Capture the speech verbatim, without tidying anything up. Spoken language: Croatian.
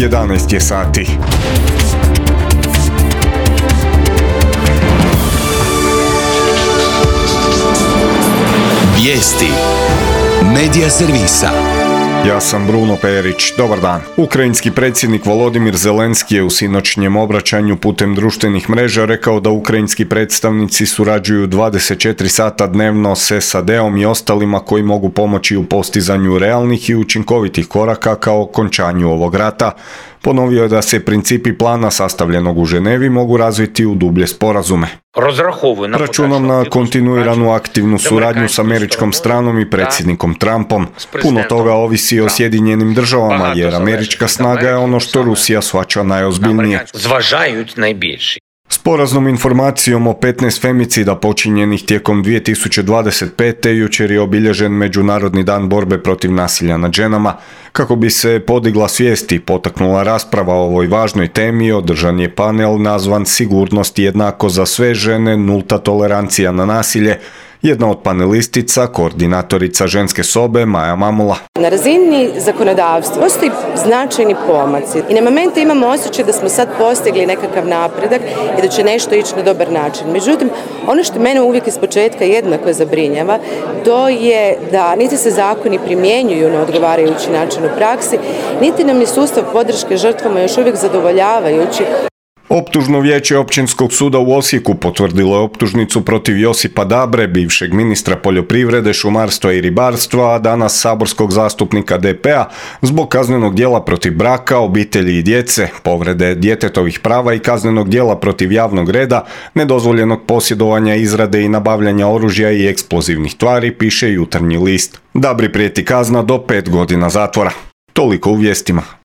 jedanaest je sati. Vijesti Medija servisa. Ja sam Bruno Perić. Dobar dan. Ukrajinski predsjednik Volodimir Zelenski je u sinoćnjem obraćanju putem društvenih mreža rekao da ukrajinski predstavnici surađuju dvadeset četiri sata dnevno s S A D-om i ostalima koji mogu pomoći u postizanju realnih i učinkovitih koraka kao okončanju ovog rata. Ponovio je da se principi plana sastavljenog u Ženevi mogu razviti u dublje sporazume. Računam na kontinuiranu aktivnu suradnju s američkom stranom i predsjednikom Trumpom. Puno toga ovisi o Sjedinjenim državama jer američka snaga je ono što Rusija shvaća najozbiljnije. S poraznom informacijom o petnaest femicida počinjenih tijekom dvije tisuće dvadeset pete. jučer je obilježen Međunarodni dan borbe protiv nasilja nad ženama. Kako bi se podigla svijest i potaknula rasprava o ovoj važnoj temi, održan je panel nazvan Sigurnost jednako za sve žene, nulta tolerancija na nasilje. Jedna od panelistica, koordinatorica ženske sobe, Maja Mamula. Na razini zakonodavstva postoji značajni pomaci i na momente imamo osjećaj da smo sad postigli nekakav napredak i da će nešto ići na dobar način. Međutim, ono što mene uvijek iz početka jednako zabrinjava, to je da niti se zakoni primjenjuju na odgovarajući način u praksi, niti nam ni sustav podrške žrtvama još uvijek zadovoljavajući. Optužno vijeće Općinskog suda u Osijeku potvrdilo je optužnicu protiv Josipa Dabre, bivšeg ministra poljoprivrede, šumarstva i ribarstva, a danas saborskog zastupnika D P-a, zbog kaznenog djela protiv braka, obitelji i djece, povrede djetetovih prava i kaznenog djela protiv javnog reda, nedozvoljenog posjedovanja, izrade i nabavljanja oružja i eksplozivnih tvari, piše Jutarnji list. Dabri prijeti kazna do pet godina zatvora. Toliko u vijestima.